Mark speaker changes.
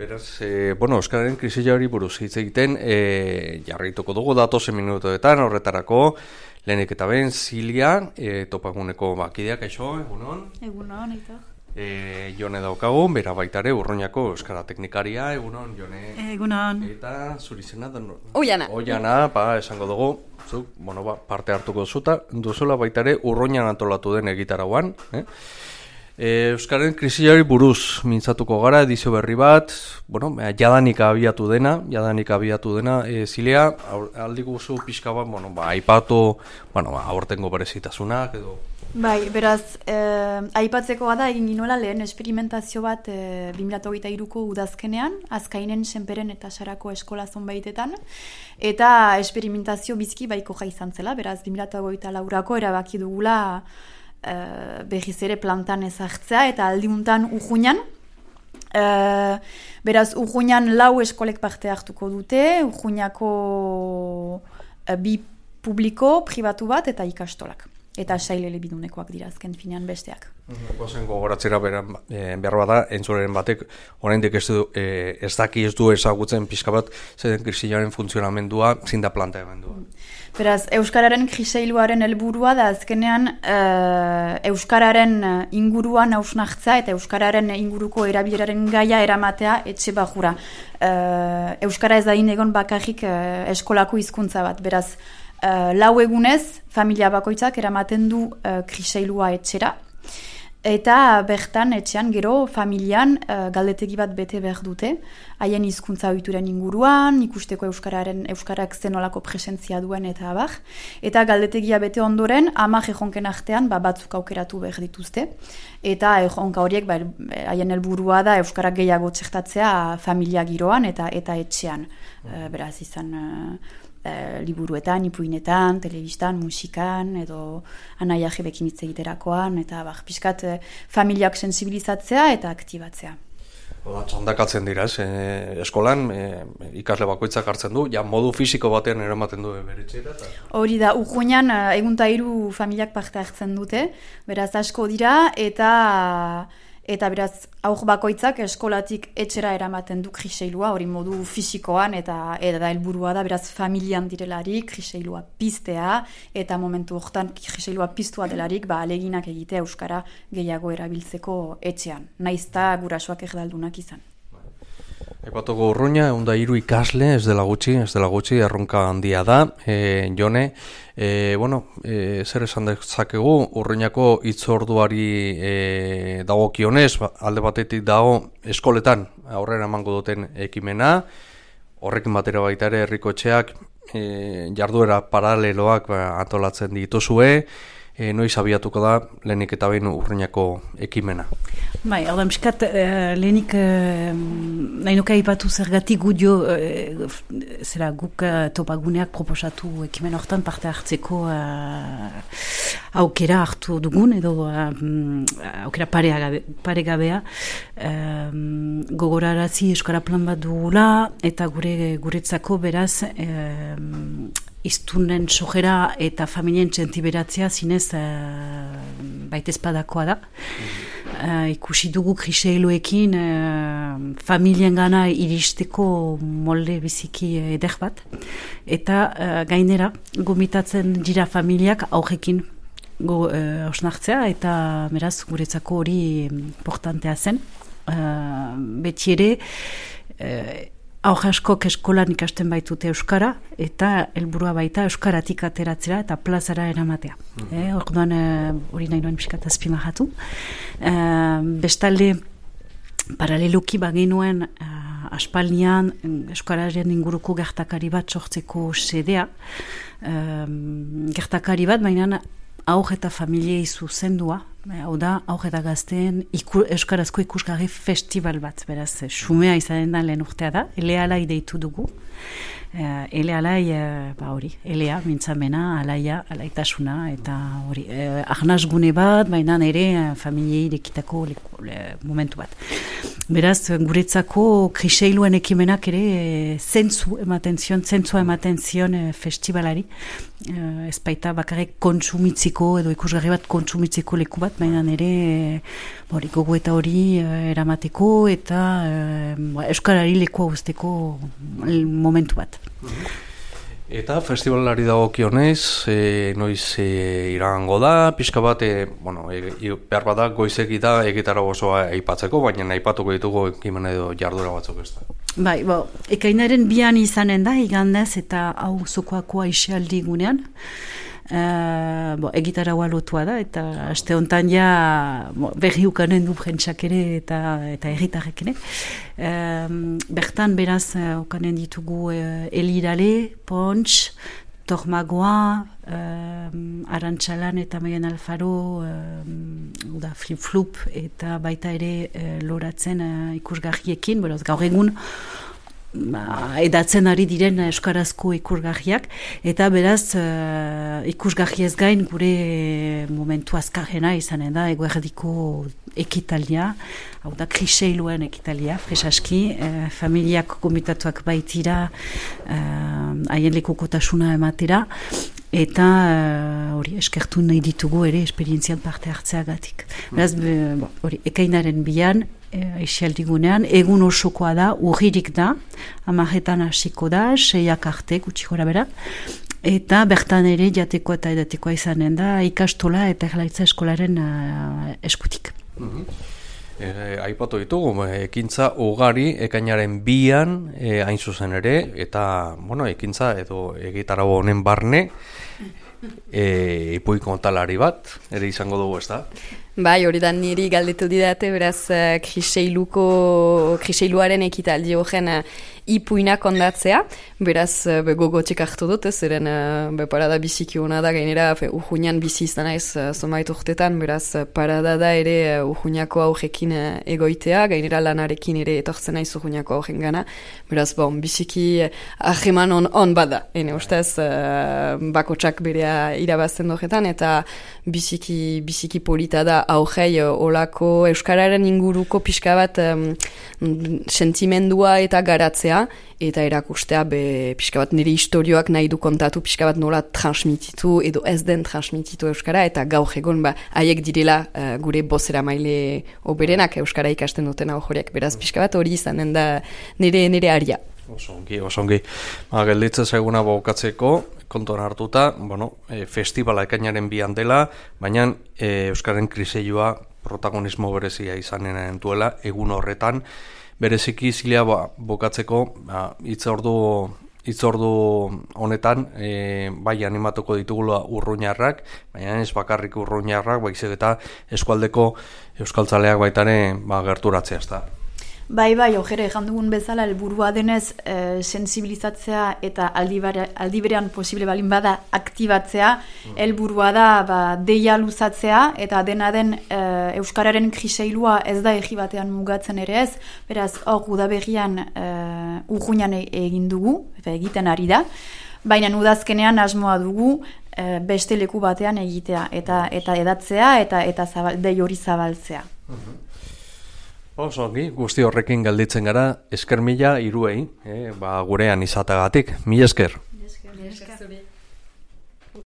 Speaker 1: Beraz, Euskararen krisiari buruz hitz egiten, jarraituko dugu datozen minutoetan horretarako, lehenik eta ben, Zilia, topaguneko bakideak, kaixo, egunon?
Speaker 2: Egunon, Aitor.
Speaker 1: Jone daukagu, bera baitare, Urruñako Euskara Teknikaria, egunon, Jone?
Speaker 2: Egunon.
Speaker 1: Eta zuri zena?
Speaker 2: Oiana.
Speaker 1: Oiana, esango dugu, zuk, parte hartuko duzula baitare, Urruñan antolatu den egitarauan, Euskararen krisiari buruz mintzatuko gara, edizio berri bat, jadanik abiatu dena, Zilia, aldi guzu pixka bat, aipatu, aurtengo berezitasunak edo...
Speaker 2: Bai, beraz, aipatzekoa da egin ginoela lehen esperimentazio bat 2023ko udazkenean, Azkainen, Senperen eta Sarako eskola zonbaitetan, eta esperimentazio bizki baikoja izan zela, beraz 2024ko erabaki dugula berriz ere plantan ezartzea eta aldiuntan Urruñan. Beraz, Urruñan 4 eskolek parte hartuko dute, Urruñako 2 publiko, pribatu bat eta ikastolak. Eta sail elebidunekoak dira azken finean besteak.
Speaker 1: Gozen gogoratzera behar bada, entzuleren batek, oraindik ez du ezagutzen pixka bat, zeden krisiaren funtzionamendua, zinda planteamendua.
Speaker 2: Beraz, Euskararen kriseiluaren helburua da azkenean Euskararen inguruan hausnartza eta Euskararen inguruko erabileraren gaia eramatea etxe bajura. Euskara ez da egon bakarrik eskolako hizkuntza bat, beraz, 4 egunez, familia bakoitzak eramaten du kriseilua etxera, eta bertan etxean gero familian galdetegi bat bete behar dute, haien hizkuntza ohituren inguruan, ikusteko euskarak zenolako presentzia duen eta abar, eta galdetegia bete ondoren 10 erronken artean batzuk aukeratu behar dituzte, eta erronka horiek haien helburua da euskarak gehiago txertatzea familia giroan eta etxean, beraz izan... liburuetan, ipuinetan, telebistan, musikan, edo anaia jebekin hitz egiterakoan, eta pixkat familiak sensibilizatzea eta aktibatzea.
Speaker 1: Txandakatzen dira, eskolan ikasle bakoitzak hartzen du, modu fisiko batean eramaten du beretxera?
Speaker 2: Hori da, Urruñan egun eta 3 familiak parte hartzen dute, beraz asko dira, eta beraz, aur bakoitzak eskolatik etxera eramaten du kriseilua, hori modu fisikoan, eta helburua da, beraz, familian direlarik, kriseilua piztea, eta momentu horretan kriseilua piztua delarik, aleginak egite euskara gehiago erabiltzeko etxean. Naizta gurasoak erdaldunak izan.
Speaker 1: Epatuko Urruña, 103 ikasle, ez dela gutxi, erronka handia da. Jone, zer esan dezakegu, Urruñako hitzorduari dagokionez, alde batetik dago eskoletan aurrera emango duten ekimena, horrekin batera baita ere herriko etxeak jarduera paraleloak antolatzen dituzue, noiz abiatuko da lehenik eta behin Urruñako ekimena.
Speaker 3: Bai, hau da, miskat, lehenik nahi nuke aipatu zergatik gudio guk topaguneak proposatu ekimen hortan parte hartzeko aukera hartu dugun, edo aukera paregabea gogorarazi euskara plan bat dugula, eta guretzako beraz iztunen sojera eta familien txentiberatzea zinez baitezpadakoa da. Ikusi dugu kriseiluekin familien gana iristeko molde biziki eder bat. Eta gainera, gomitatzen dira familiak augekin osnartzea, eta beraz guretzako hori importantea zen. Beti ere, aur askok eskolan ikasten baitute euskara, eta helburua baita euskaratik ateratzera eta plazara eramatea. Orduan hori nahi nuen pixkat azpimarratu. Bestalde, paraleloki bagenuen aspaldian euskararen inguruko gertakari bat sortzeko sedea. Gertakari bat, baina aur eta familiei zuzendua, hau da, aur eta gazteen euskarazko ikusgarri festival bat, beraz, xumea izanen da lehen urtea da, elealai deitu dugu. Elealai, hori, elea, mintzamena, alaia, alaitasuna, eta hori, arnaz gune bat, baina ere familiei irekitako momentu bat. Beraz, guretzako kriseiluen ekimenak ere zentzua ematen zion festivalari. Ez baita bakarrik kontsumitziko edo ikusgarri bat kontsumitziko leku bat, baina ere gogo eta hori eramateko eta euskarari lekua uzteko momentu bat.
Speaker 1: Eta festivalari dagokionez, noiz iragango da, pixka bat, behar bat da goizeki da egitarra osoa aipatzeko, baina aipatuko ditugu ekimen edo jardura batzuk ez da.
Speaker 3: Bai, ekainaren 2 izanen da, igandez eta hau zokoako aisealdi gunean. Egitarra lotua da, eta aste honetan berri ukanen du prentsak ere eta erritarrek ere. Bertan beraz ukanen ditugu Elirale, Pontx, Tormagoa, Arantxalan eta Maien Alfaro, Flip-Flup eta baita ere loratzen ikusgarriekin, beraz gaur egun edatzen ari diren euskarazko ikusgarriak, eta beraz ikusgarriez gain gure momentu azkarrena izanen da eguerdiko ekitaldia, hau da kriseiluen ekitaldia, fresaski, familiak gomitatuak baitira haien lekukotasuna ematera, eta hori eskertu nahi ditugu ere esperientzian parte hartzeagatik. Beraz, ekainaren 2 aisealdigunean, egun osokoa da, urririk da, 10 hasiko da, 6 arte, gutxi gora bera, eta bertan ere jateko eta edatekoa izanen da, ikastola eta erlaitza eskolaren eskutik.
Speaker 1: Aipatu ditugu, ekintza ugari ekainaren 2an hain zuzen ere, eta ekintza edo egitarau honen barne, ipuin kontalari bat, ere izango dugu ez da?
Speaker 4: Bai, hori da niri galdetu didate, beraz kriseiluaren ekitaldi horren ipuina kondatzea, beraz gogotxik hartu dut, zeren parada biziki hona da, gainera urruñan bizi izan ez zomait urtetan, beraz parada da ere urruñako aurrekin egoitea, gainera lanarekin ere etortzen naiz urruñako aurren gana, beraz biziki ahreman on bada, ene ustez bakotsak berea irabazten horretan, eta biziki polita da aurrei olako euskararen inguruko pixka bat sentimendua eta garatzea, eta erakustea pixka bat nire historioak nahi du kontatu, pixka bat nola transmititu edo ez den transmititu euskara, eta gaur egon haiek direla gure bozera maile oberenak euskara ikasten dutena horiek, beraz pixka bat hori izanen da nire aria.
Speaker 1: Osongi. Gelditzen zaiguna bokatzeko, kontuan hartuta, festivala ekainaren 2an dela, baina euskaren kriseilua protagonismo berezia izanen duela egun horretan, bereziki zilea bokatzeko hitzordu honetan bai animatuko ditugula urruñarrak, baina ez bakarrik urruñarrak, baizik eta eskualdeko euskaltzaleak baitare gerturatzea ez da.
Speaker 2: Bai, ojere, jandugun bezala, helburua denez sensibilizatzea eta aldi berean posible balin bada aktibatzea, helburua da deia luzatzea, eta dena den euskararen kriseilua ez da egi batean mugatzen ere ez, beraz, hor udaberrian urruñan egin dugu, eta egiten ari da, baina udazkenean asmoa dugu beste leku batean egitea, eta edatzea, eta dei hori zabaltzea.
Speaker 1: Osongi, guzti horrekin galditzen gara, esker mila hiruei, gurean izatagatik. Mila esker.
Speaker 4: Mila esker.